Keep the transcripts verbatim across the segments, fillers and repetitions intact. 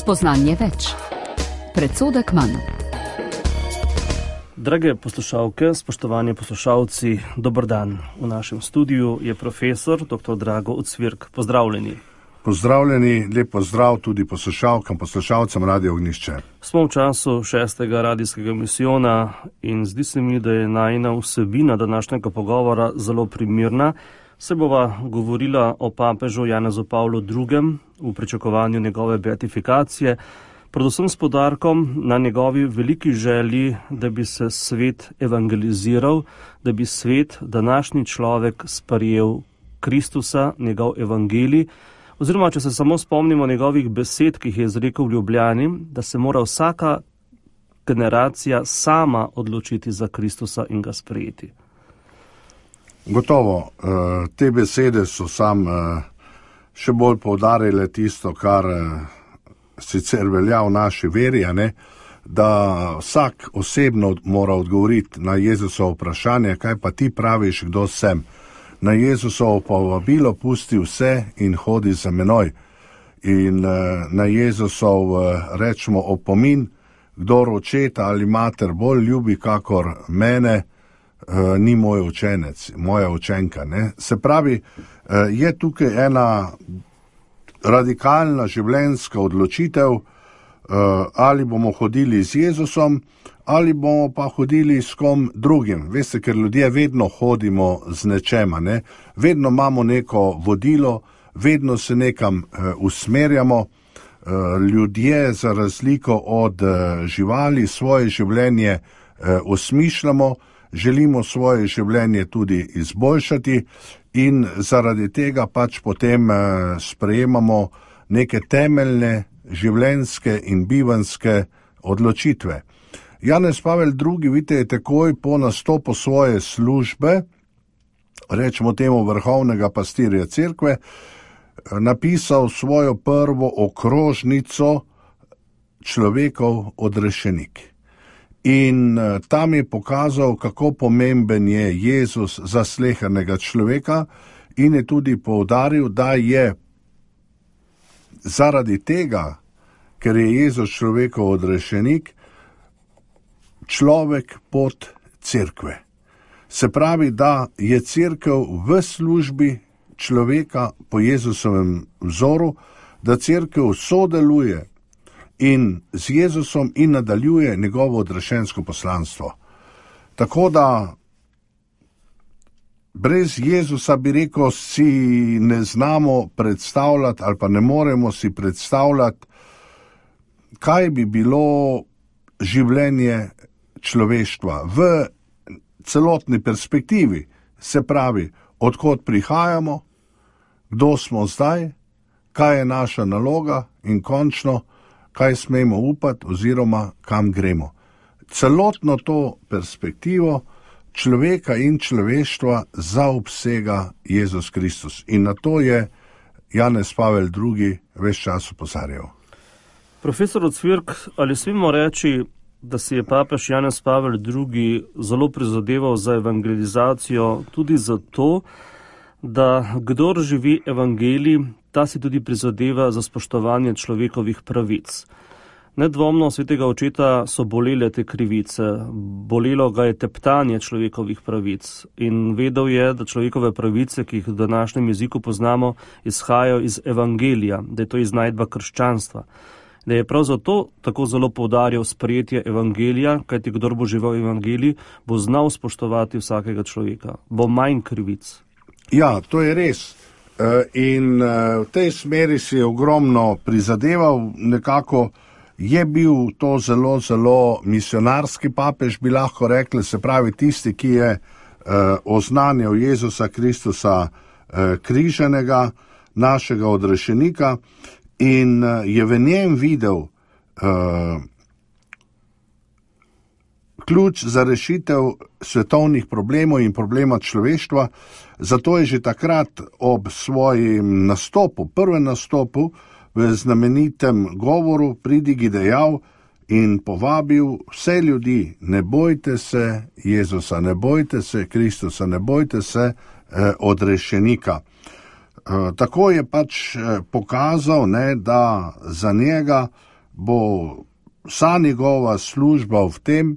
Spoznanje več. Predsodek manj. Drage poslušalke, spoštovani poslušalci, dober dan. V našem studiu je profesor doktor Drago Ocvirk. Pozdravljeni. Pozdravljeni, lep pozdrav tudi poslušalkam, poslušalcem Radio Ognjišče. Smo v času šestega radijskega misijona in zdi se mi, da je najina vsebina današnjega pogovora zelo primirna. Se bova govorila o papežu Janezu Pavlu drugem v pričakovanju njegove beatifikacije, predvsem s poudarkom na njegovi veliki želji, da bi se svet evangeliziral, da bi svet, današnji človek, sprejel Kristusa, njegov evangelij, oziroma, če se samo spomnimo njegovih besed, ki jih je izrekel v Ljubljani, da se mora vsaka generacija sama odločiti za Kristusa in ga sprejeti. Gotovo, te besede so sam še bolj poudarile tisto, kar sicer velja v naši veri, ne? Da vsak osebno mora odgovoriti na Jezusovo vprašanje, kaj pa ti praviš, kdo sem. Na Jezusovo povabilo pusti vse in hodi za menoj. In na Jezusov rečemo opomin, kdor očeta ali mater bolj ljubi kakor mene, ni moj učenec, moja učenka. Ne? Se pravi, je tukaj ena radikalna življenjska odločitev, ali bomo hodili z Jezusom, ali bomo pa hodili s kom drugim. Veste, ker ljudje vedno hodimo z nečema, ne? Vedno imamo neko vodilo, vedno se nekam usmerjamo. Ljudje, za razliko od živali, svoje življenje osmišljamo, želimo svoje življenje tudi izboljšati in zaradi tega pač potem sprejemamo neke temeljne življenjske in bivanjske odločitve. Janez Pavel drugi, vidite, je takoj po nastopu svoje službe, rečemo temu vrhovnega pastirja cerkve, napisal svojo prvo okrožnico Človekov odrešenik. In tam je pokazal, kako pomemben je Jezus za slehernega človeka in je tudi poudaril, da je zaradi tega, ker je Jezus človekov odrešenik, človek pod cerkve. Se pravi, da je cerkev v službi človeka po Jezusovem vzoru, da cerkev sodeluje in z Jezusom in nadaljuje njegovo odrešensko poslanstvo. Tako da brez Jezusa, bi rekel, si ne znamo predstavljati ali pa ne moremo si predstavljati, kaj bi bilo življenje človeštva v celotni perspektivi, se pravi, odkot prihajamo, kdo smo zdaj, kaj je naša naloga in končno, kaj smemo upati oziroma kam gremo. Celotno to perspektivo človeka in človeštva zaobsega Jezus Kristus. In na to je Janez Pavel drugi ves čas opozarjal. Profesor Ocvirk, ali smemo reči, da si je papež Janez Pavel drugi zelo prizadeval za evangelizacijo tudi zato, da kdor živi evangelij, ta si tudi prizadeva za spoštovanje človekovih pravic. Nedvomno svetega očeta so bolele te krivice, bolelo ga je teptanje človekovih pravic in vedel je, da človekove pravice, ki jih v današnjem jeziku poznamo, izhajajo iz evangelija, da je to iznajdba krščanstva. Da je prav zato tako zelo poudarjal sprejetje evangelija, kajti kdor bo živel evangelij, bo znal spoštovati vsakega človeka, bo manj krivic. Ja, to je res. In v tej smeri si je ogromno prizadeval, nekako je bil to zelo, zelo misionarski papež, bi lahko rekli, se pravi tisti, ki je oznanjal Jezusa Kristusa križanega, našega odrešenika, in je v njem videl ključ za rešitev svetovnih problemov in problema človeštva. Zato je že takrat ob svojem nastopu, prvem nastopu v znamenitem govoru pridigi dejal in povabil vse ljudi, ne bojte se Jezusa, ne bojte se Kristusa, ne bojte se eh, odrešenika. Eh, tako je pač eh, pokazal, ne, da za njega bo vsa njegova služba v tem,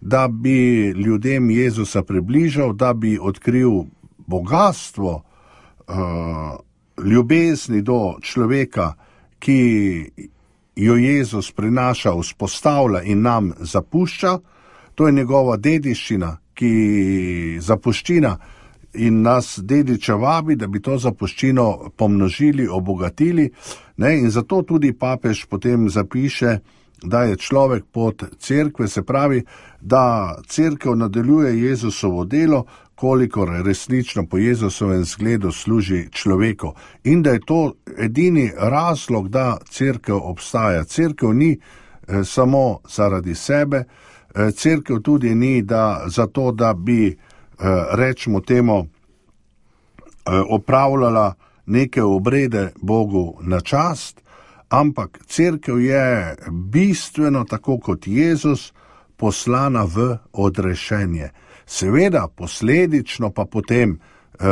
da bi ljudem Jezusa približal, da bi odkril bogatstvo uh, ljubezni do človeka, ki jo Jezus prinaša, vzpostavlja in nam zapušča. To je njegova dediščina, ki zapuščina in nas dediča vabi, da bi to zapuščino pomnožili, obogatili, ne? In zato tudi papež potem zapiše, da je človek pod cerkve, se pravi, da cerkev nadaljuje Jezusovo delo, kolikor resnično po Jezusovem zgledu služi človeku. In da je to edini razlog, da cerkev obstaja. Cerkev ni eh, samo zaradi sebe, eh, cerkev tudi ni da, zato, da bi, eh, rečemo temu, eh, opravljala neke obrede Bogu na čast, ampak cerkev je bistveno, tako kot Jezus, poslana v odrešenje. Seveda, posledično pa potem eh,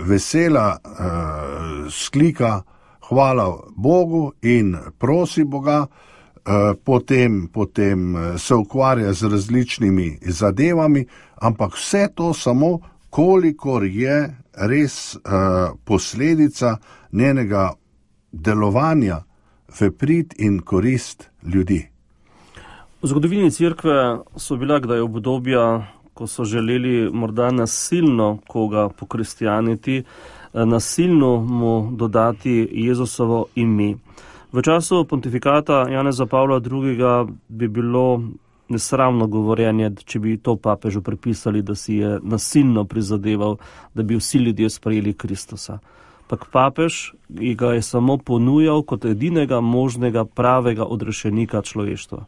vesela eh, sklika hvala Bogu in prosi Boga, eh, potem, potem se ukvarja z različnimi zadevami, ampak vse to samo, kolikor je res eh, posledica njenega delovanja v prid in korist ljudi. V zgodovini cerkve so bila kdaj obdobja, ko so želeli morda nasilno koga pokristjaniti, nasilno mu dodati Jezusovo ime. V času pontifikata Janeza Pavla drugega bi bilo nesramno govorjenje, če bi to papežu pripisali, da si je nasilno prizadeval, da bi vsi ljudje sprejeli Kristusa. Pak papež ga je samo ponujal kot edinega možnega pravega odrešenika človeštva.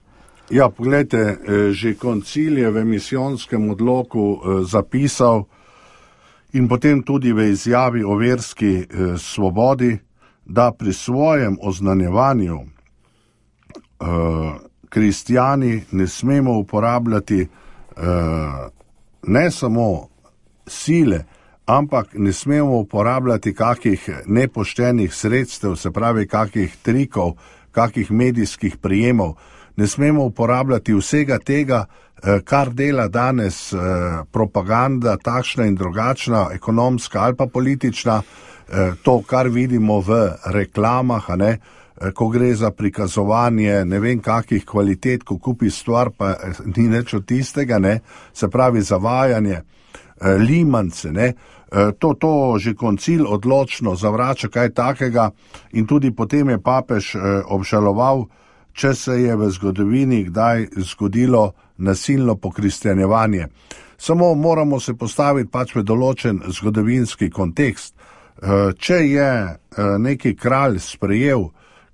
Ja, pogledajte, že koncil je v misijonskem odloku zapisal in potem tudi v izjavi o verski svobodi, da pri svojem oznanjevanju kristjani ne smemo uporabljati ne samo sile, ampak ne smemo uporabljati kakih nepoštenih sredstev, se pravi kakih trikov, kakih medijskih prijemov. Ne smemo uporabljati vsega tega, kar dela danes propaganda, takšna in drugačna, ekonomska ali pa politična, to, kar vidimo v reklamah, a ne, ko gre za prikazovanje ne vem kakih kvalitet, ko kupi stvar, pa ni nič od tistega, ne, se pravi zavajanje, limance, ne, to, to že koncil odločno zavrača kaj takega in tudi potem je papež obžaloval, če se je v zgodovini kdaj zgodilo nasilno pokristjanjevanje. Samo moramo se postaviti pač v določen zgodovinski kontekst. Če je neki kralj sprejel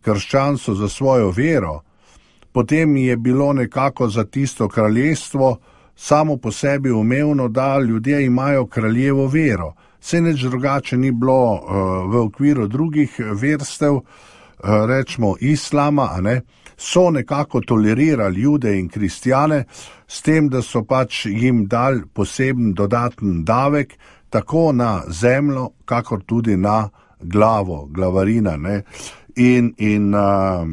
krščanstvo za svojo vero, potem je bilo nekako za tisto kraljestvo samo po sebi umevno, da ljudje imajo kraljevo vero. Saj nič drugače ni bilo v okviru drugih verstev, rečemo islama, a ne, so nekako tolerirali Jude in kristjane s tem, da so pač jim dali poseben dodaten davek, tako na zemljo, kakor tudi na glavo, glavarina, ne. In, in uh,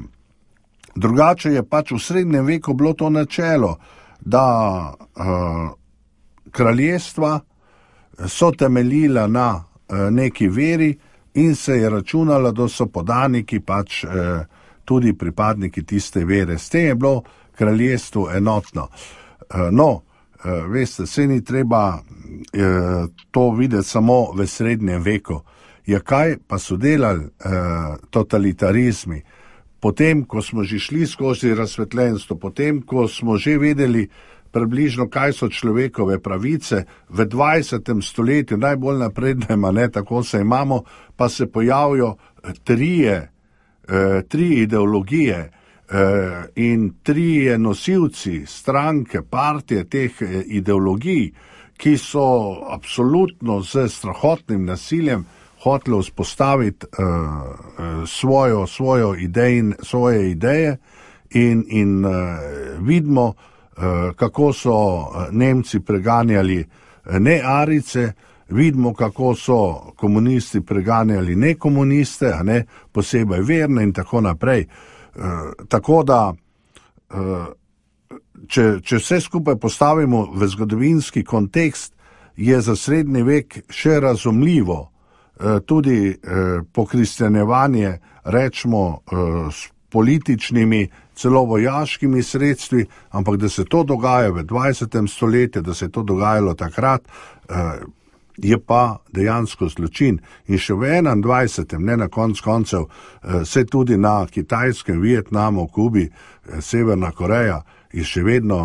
drugače je pač v srednjem veku bilo to načelo, da uh, kraljestva so temeljila na uh, neki veri in se je računalo, da so podaniki pač uh, tudi pripadniki tiste vere. S tem je bilo kraljestvo enotno. Uh, no, uh, veste, se ni treba uh, to videti samo v srednjem veku. Ja, kaj pa so delali uh, totalitarizmi? Potem, ko smo že šli skozi razsvetljenstvo, potem, ko smo že vedeli približno, kaj so človekove pravice, v dvajsetem stoletju, najbolj naprednem, ne, tako se imamo, pa se pojavijo trije, eh, tri ideologije eh, in trije nosilci stranke, partije teh eh, ideologij, ki so absolutno z strahotnim nasiljem hoteli vzpostaviti uh, svojo, svojo idej, svoje ideje in, in uh, vidimo, uh, kako so Nemci preganjali ne Arice, vidimo, kako so komunisti preganjali ne komuniste, a ne posebej verne in tako naprej. tako da, če, če vse skupaj postavimo v zgodovinski kontekst, je za srednji vek še razumljivo tudi pokristjanjevanje, rečemo, s političnimi, celo vojaškimi sredstvi, ampak da se to dogaja v dvajsetem stoletju, da se je to dogajalo takrat, je pa dejansko zločin. In še v enaindvajsetem, ne na konc koncev, se tudi na Kitajskem, Vietnamu, Kubi, Severna Koreja je še vedno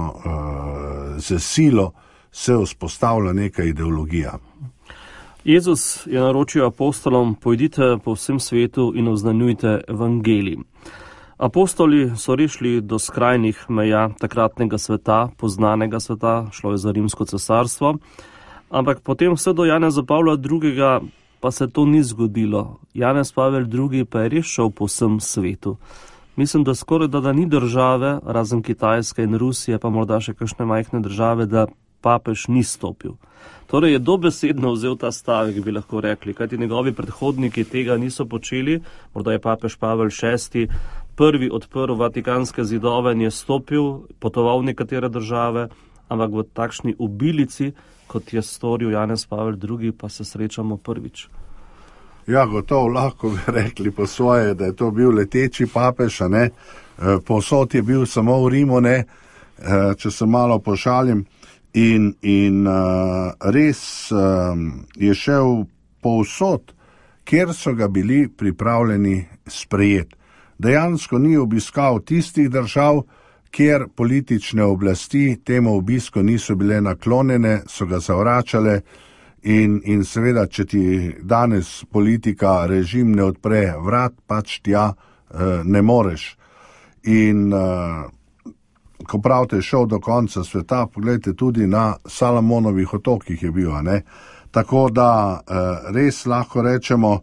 z silo se vzpostavlja neka ideologija. Jezus je naročil apostolom, pojdite po vsem svetu in oznanjujte evangelij. Apostoli so rešili do skrajnih meja takratnega sveta, poznanega sveta, šlo je za Rimsko cesarstvo, ampak potem vse do Janeza Pavla drugega pa se to ni zgodilo. Janez Pavel drugi pa je res šel po vsem svetu. Mislim, da skoraj da, da ni države, razen Kitajske in Rusije, pa morda še kakšne majhne države, da papež ni stopil. Torej je dobesedno vzel ta stavek, bi lahko rekli, kajti njegovi predhodniki tega niso počeli. Morda je papež Pavel šesti prvi odprl Vatikanske zidove in je stopil, potoval v nekatere države, ampak v takšni obilici, kot je storil Janez Pavel drugi, pa se srečamo prvič. Ja, gotovo lahko bi rekli po svoje, da je to bil leteči papež, a ne? Povsod je bil samo v Rimu, ne? Če se malo pošalim. In, in uh, res um, je šel povsod, kjer so ga bili pripravljeni sprejeti. Dejansko ni obiskal tistih držav, kjer politične oblasti temu obisku niso bile naklonjene, so ga zavračale in, in seveda, če ti danes politika, režim ne odpre vrat, pač tja uh, ne moreš. In uh, ko pravite, šel do konca sveta, pogledajte tudi na Salomonovih otokih je bil, ne? Tako da res lahko rečemo,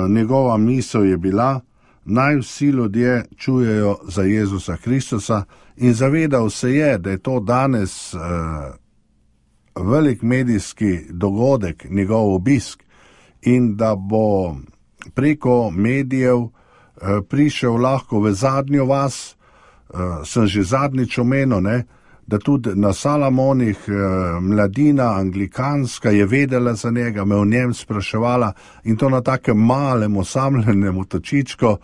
njegova misel je bila, naj vsi ljudje čujejo za Jezusa Kristusa in zavedal se je, da je to danes velik medijski dogodek, njegov obisk in da bo preko medijev prišel lahko v zadnjo vas. Uh, sem že zadnjič omenil, ne, da tudi na Salamonih uh, mladina anglikanska je vedela za njega, me o njem spraševala in to na takem malem osamljenem otočičku, uh,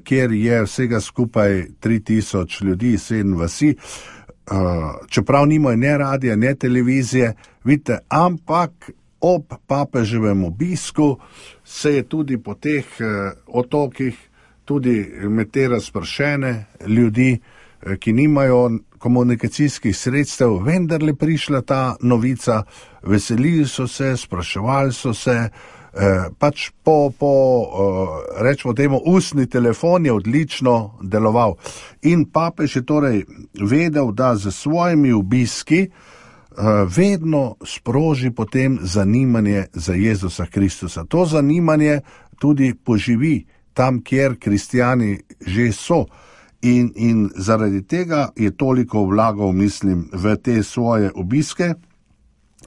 kjer je vsega skupaj tri tisoč ljudi, sedem vasi, uh, čeprav nimajo ne radija, ne televizije, vidite, ampak ob papeževem obisku se je tudi po teh uh, otokih tudi med te razpršene ljudi, ki nimajo komunikacijskih sredstev, vendarle prišla ta novica, veselili so se, spraševali so se, eh, pač po, po eh, rečemo temu, ustni telefon je odlično deloval. In papež je torej vedel, da z svojimi obiski eh, vedno sproži potem zanimanje za Jezusa Kristusa. To zanimanje tudi poživi tam, kjer kristijani že so. In, in zaradi tega je toliko vlagal, mislim, v te svoje obiske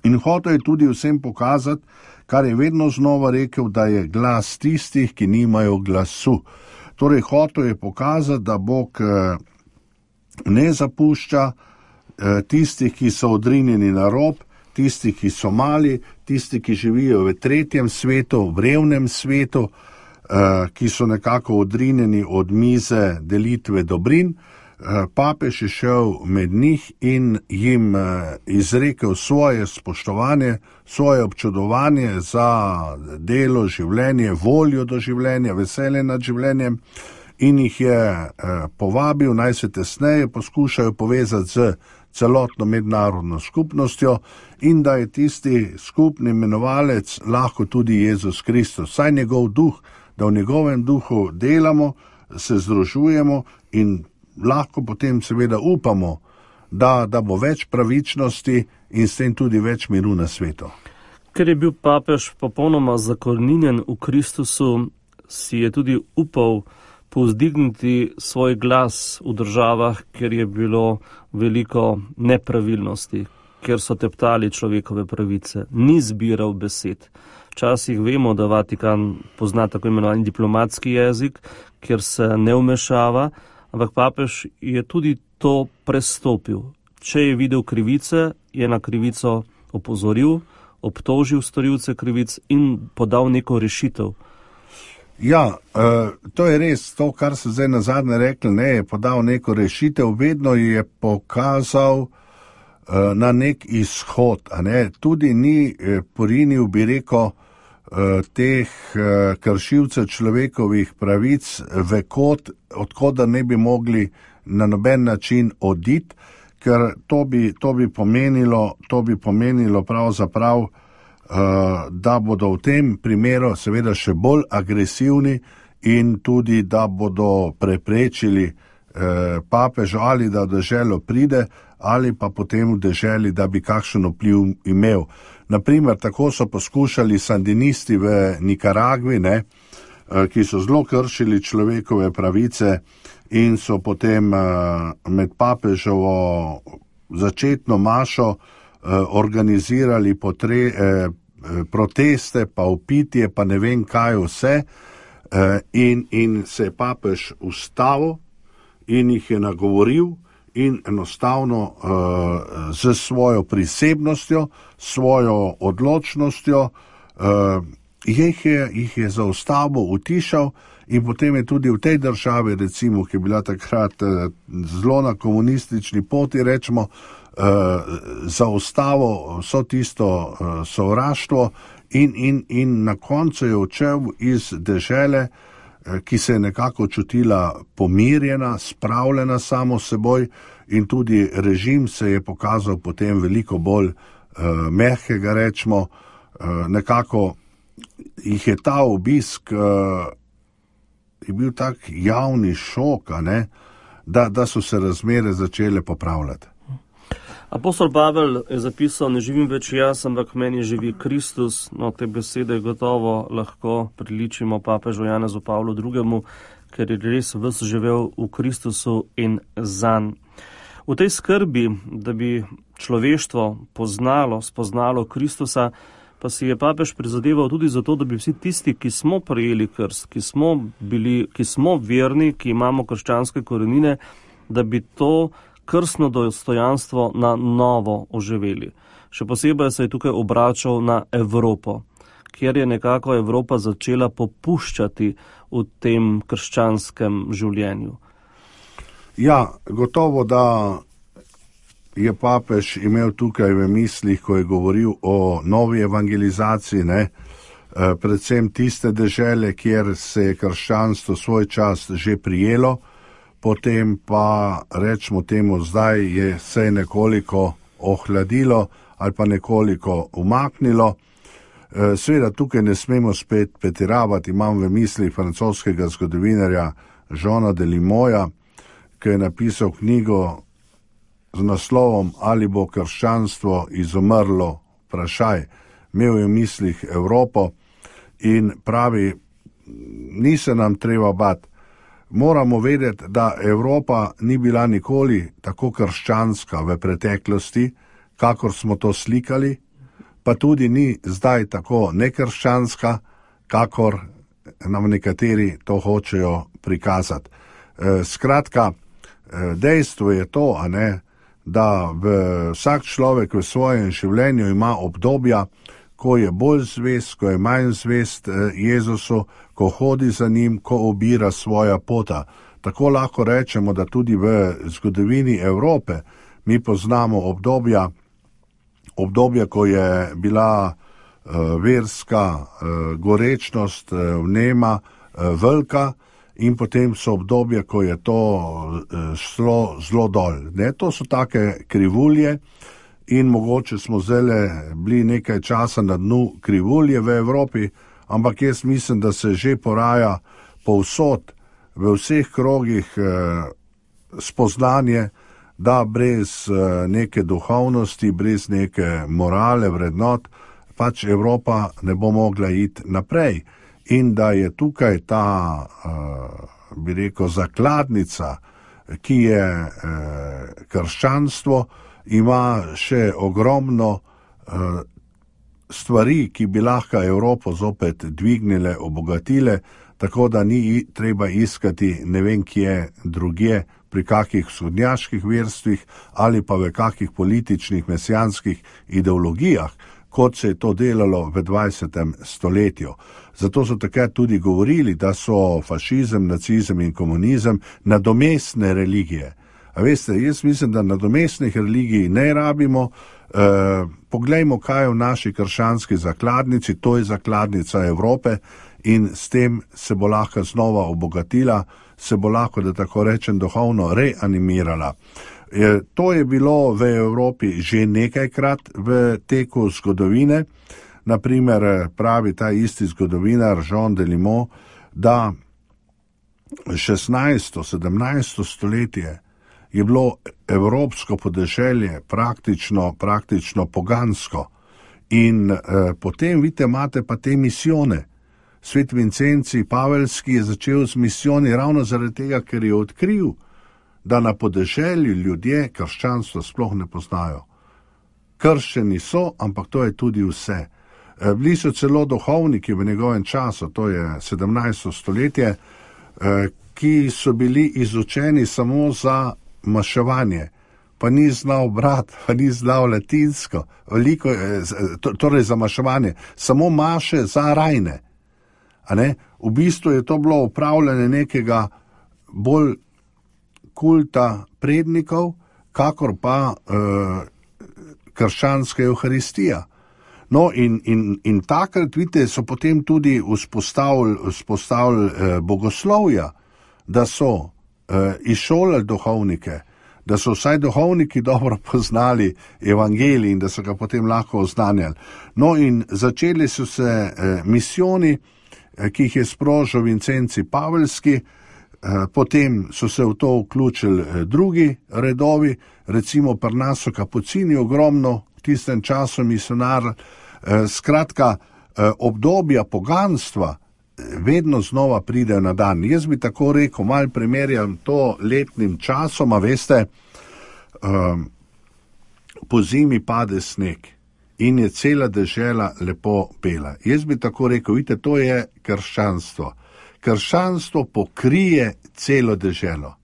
in hotel je tudi vsem pokazati, kar je vedno znova rekel, da je glas tistih, ki nimajo glasu. Torej, hotel je pokazati, da Bog ne zapušča tistih, ki so odrinjeni na rob, tistih, ki so mali, tistih, ki živijo v tretjem svetu, v revnem svetu, ki so nekako odrinjeni od mize delitve dobrin. Papež je šel med njih in jim izrekel svoje spoštovanje, svoje občudovanje za delo, življenje, voljo do življenja, veselje nad življenjem in jih je povabil, naj se tesneje poskušajo povezati z celotno mednarodno skupnostjo in da je tisti skupni imenovalec lahko tudi Jezus Kristus, saj njegov duh, da v njegovem duhu delamo, se združujemo in lahko potem seveda upamo, da, da bo več pravičnosti in s tem tudi več miru na svetu. Ker je bil papež popolnoma zakoreninjen v Kristusu, si je tudi upal povzdigniti svoj glas v državah, kjer je bilo veliko nepravilnosti, kjer so teptali človekove pravice, ni zbiral besed. Včasih vemo, da Vatikan pozna tako imenovani diplomatski jezik, kjer se ne vmešava, ampak papež je tudi to prestopil. Če je videl krivice, je na krivico opozoril, obtožil storilce krivic in podal neko rešitev. Ja, to je res, to, kar se zdaj nazadnje rekli, ne, je podal neko rešitev, vedno je pokazal na nek izhod, a ne, tudi ni porinil, bi rekel, teh kršilcev človekovih pravic v kot, odkot da ne bi mogli na noben način oditi, ker to bi, to bi pomenilo, to bi pomenilo pravzaprav, da bodo v tem primeru seveda še bolj agresivni in tudi, da bodo preprečili papežu ali da v deželo pride ali pa potem v deželi, da bi kakšen vpliv imel. Naprimer, tako so poskušali sandinisti v Nikaragvi, ne, ki so zelo kršili človekove pravice in so potem med papežovo začetno mašo organizirali potre, proteste, pa upitje, pa ne vem kaj vse, in, in se je papež ustavil in jih je nagovoril in enostavno uh, z svojo prisebnostjo, svojo odločnostjo uh, jih, je, jih je zaustavil, utišal in potem je tudi v tej državi, recimo, ki je bila takrat uh, zelo na komunistični poti, rečemo, uh, zaustavil vso tisto uh, sovraštvo in, in, in na koncu je odšel iz dežele, ki se je nekako čutila pomirjena, spravljena samo seboj in tudi režim se je pokazal potem veliko bolj uh, mehkega, rečemo, uh, nekako jih je ta obisk uh, je bil tak javni šok, a ne, da, da so se razmere začele popravljati. Apostol Pavel je zapisal, ne živim več jaz, ampak meni živi Kristus. No, te besede gotovo lahko priličimo papežu Janezu Pavlu drugemu, ker je res ves živel v Kristusu in zanj. V tej skrbi, da bi človeštvo poznalo, spoznalo Kristusa, pa si je papež prizadeval tudi za to, da bi vsi tisti, ki smo prejeli krst, ki smo bili, ki smo verni, ki imamo krščanske korenine, da bi to krstno dostojanstvo na novo oživeli. Še posebej se je tukaj obračal na Evropo, kjer je nekako Evropa začela popuščati v tem krščanskem življenju. Ja, gotovo, da je papež imel tukaj v mislih, ko je govoril o novi evangelizaciji, ne, predvsem tiste dežele, kjer se je krščanstvo svoj čas že prijelo, potem pa, rečemo temu, zdaj je se nekoliko ohladilo ali pa nekoliko umaknilo. Seveda tukaj ne smemo spet pretiravati, imam v mislih francoskega zgodovinarja Jeana Delimoja, ki je napisal knjigo z naslovom Ali bo krščanstvo izumrlo, vprašaj. Imel je v mislih Evropo in pravi, ni se nam treba bati. Moramo vedeti, da Evropa ni bila nikoli tako krščanska v preteklosti, kakor smo to slikali, pa tudi ni zdaj tako nekrščanska, kakor nam nekateri to hočejo prikazati. Skratka, dejstvo je to, a ne, da v vsak človek v svojem življenju ima obdobja, ko je bolj zvest, ko je manj zvest Jezusu, ko hodi za njim, ko obira svoja pota. Tako lahko rečemo, da tudi v zgodovini Evrope mi poznamo obdobja, obdobja, ko je bila uh, verska uh, gorečnost, uh, vnema, uh, velika in potem so obdobja, ko je to šlo uh, zelo dol. Ne? To so take krivulje in mogoče smo zdaj bili nekaj časa na dnu krivulje v Evropi, ampak jaz mislim, da se že poraja povsod, v vseh krogih eh, spoznanje, da brez eh, neke duhovnosti, brez neke morale, vrednot, pač Evropa ne bo mogla iti naprej. In da je tukaj ta, eh, bi rekel, zakladnica, ki je eh, krščanstvo, ima še ogromno uh, stvari, ki bi lahko Evropo zopet dvignile, obogatile, tako da ni treba iskati ne vem kje drugje, pri kakih vzhodnjaških verstvih ali pa v kakih političnih mesijanskih ideologijah, kot se je to delalo v dvajsetem stoletju. Zato so takrat tudi govorili, da so fašizem, nacizem in komunizem nadomestne religije. A veste, jaz mislim, da nadomestnih religij ne rabimo. E, poglejmo, kaj je v naši krščanski zakladnici, to je zakladnica Evrope in s tem se bo lahko znova obogatila, se bo lahko, da tako rečem, duhovno reanimirala. E, to je bilo v Evropi že nekajkrat v teku zgodovine. Naprimer, pravi ta isti zgodovinar Jean Delimot, da šestnajsto, sedemnajsto stoletje je bilo evropsko podeželje praktično, praktično pogansko. In eh, potem, vidite, imate pa te misijone. Svet Vincenci Pavelski je začel z misijoni ravno zaradi tega, ker je odkril, da na podeželju ljudje krščanstvo sploh ne poznajo. Krščeni so, ampak to je tudi vse. Eh, bili so celo duhovniki v njegovem času, to je sedemnajsto stoletje, eh, ki so bili izučeni samo za maševanje, pa ni znal brat, pa ni znal latinsko, veliko, torej za maševanje, samo maše za rajne. A ne? V bistvu je to bilo upravljanje nekega bolj kulta prednikov, kakor pa eh, krščanska evharistija. No in, in, in takrat, vidite, so potem tudi vzpostavili, vzpostavili eh, bogoslovja, da so izšolali duhovnike, da so vsaj duhovniki dobro poznali evangelij in da so ga potem lahko oznanjali. No in začeli so se eh, misijoni, eh, ki jih je sprožil Vincenci Pavelski, eh, potem so se v to vključili eh, drugi redovi, recimo pri nas so kapucini ogromno, v tistem času misionar, eh, skratka eh, obdobja poganstva vedno znova pridejo na dan. Jaz bi tako rekel, malo primerjam to letnim časom, a veste, um, po zimi pade sneg in je cela dežela lepo bela. Jaz bi tako rekel, vidite, to je krščanstvo. Krščanstvo pokrije celo deželo.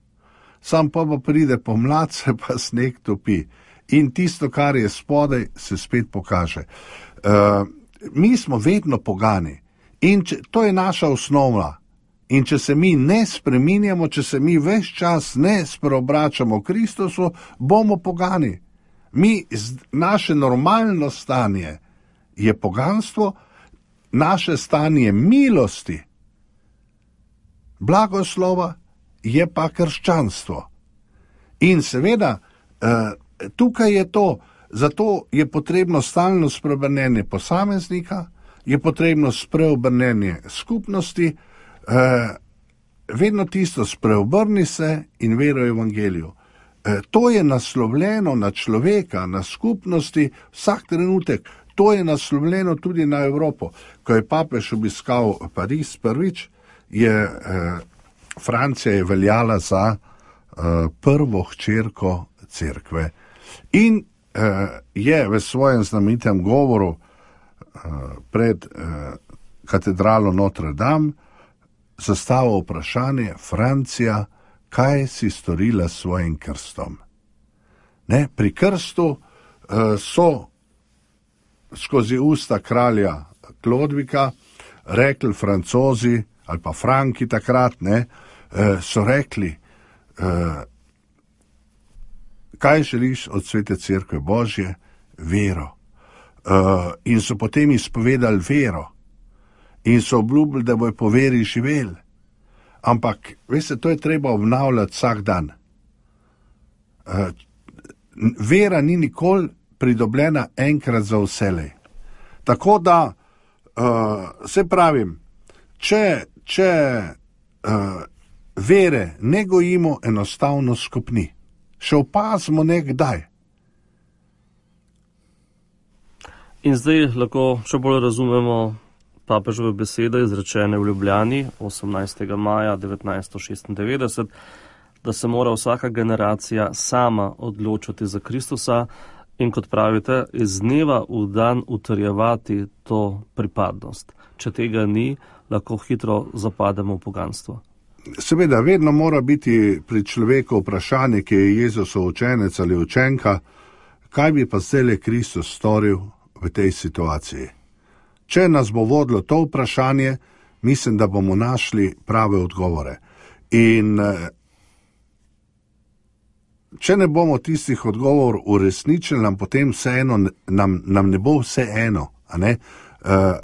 Sam pa pa pride pomlad, se pa sneg topi. In tisto, kar je spodaj, se spet pokaže. Uh, mi smo vedno pogani. In če, to je naša osnova. In če se mi ne spreminjamo, če se mi ves čas ne spreobračamo Kristusu, bomo pogani. Mi, naše normalno stanje je poganstvo, naše stanje milosti, blagoslova je pa krščanstvo. In seveda, tukaj je to, zato je potrebno stalno spreobrnenje posameznika, je potrebno spreobrnenje skupnosti, eh, vedno tisto spreobrni se in veruj evangeliju. Eh, to je naslovljeno na človeka, na skupnosti, vsak trenutek. To je naslovljeno tudi na Evropo. Ko je papež obiskal Pariz prvič, je eh, Francija je veljala za eh, prvo hčerko cerkve. In eh, je v svojem znamenitem govoru pred eh, katedralo Notre Dame zastavil vprašanje: Francija, kaj si storila s svojim krstom? Ne, pri krstu eh, so skozi usta kralja Klodvika rekli Francozi ali pa Franki takrat, ne, eh, so rekli, eh, kaj želiš od Svete Cerkve Božje? Vero. Uh, in so potem izpovedali vero in so obljubili, da bojo po veri živeli. Ampak, veste, to je treba obnavljati vsak dan. Uh, vera ni nikoli pridobljena enkrat za vselej. Tako da, uh, se pravim, če, če uh, vere ne gojimo, enostavno skupni. Še opazimo nekdaj. In zdaj lahko še bolj razumemo papežove besede izrečene v Ljubljani osemnajstega maja devetnajststo šestindevetdeset, da se mora vsaka generacija sama odločiti za Kristusa in kot pravite, iz dneva v dan utrjevati to pripadnost. Če tega ni, lahko hitro zapademo v poganstvo. Seveda, vedno mora biti pri človeku vprašanje, ki je Jezusov učenec ali učenka, kaj bi pa zdaj Kristus storil v tej situaciji. Če nas bo vodilo to vprašanje, mislim, da bomo našli prave odgovore. In če ne bomo tistih odgovor uresničili, nam potem vseeno, nam, nam ne bo vse eno, a ne? Uh,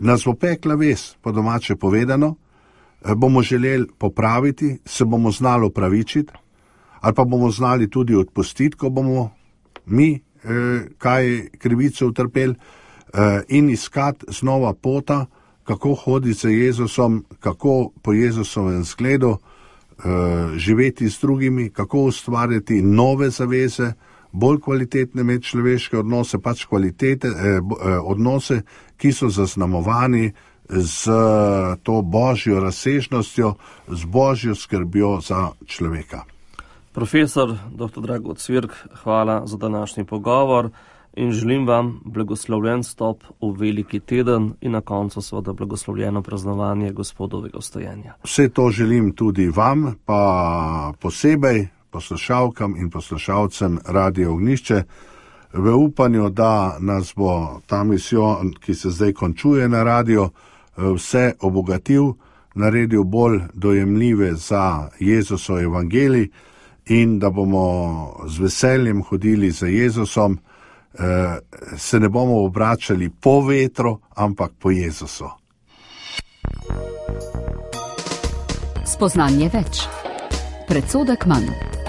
nas bo pekla vest, po domače povedano, uh, bomo želeli popraviti, se bomo znali opravičiti, ali pa bomo znali tudi odpustiti, ko bomo mi uh, kaj krivico utrpeli, uh, in iskati znova pota, kako hoditi za Jezusom, kako po Jezusovem zgledu živeti z drugimi, kako ustvarjati nove zaveze, bolj kvalitetne medčloveške odnose, pač kvalitete, eh, odnose, ki so zaznamovani z to božjo razsežnostjo, z božjo skrbjo za človeka. Profesor doktor Drago Cvirk, hvala za današnji pogovor in želim vam blagoslovljen stop v veliki teden in na koncu seveda blagoslovljeno praznovanje Gospodovega vstajenja. Vse to želim tudi vam, pa posebej poslušalkam in poslušalcem Radio Ognjišče, v upanju, da nas bo ta misijon, ki se zdaj končuje na radio, vse obogatil, naredil bolj dojemljive za Jezusov evangelij in da bomo z veseljem hodili za Jezusom, se ne bomo obračali po vetru, ampak po Jezusu. Spoznanje več. Predsodek manj.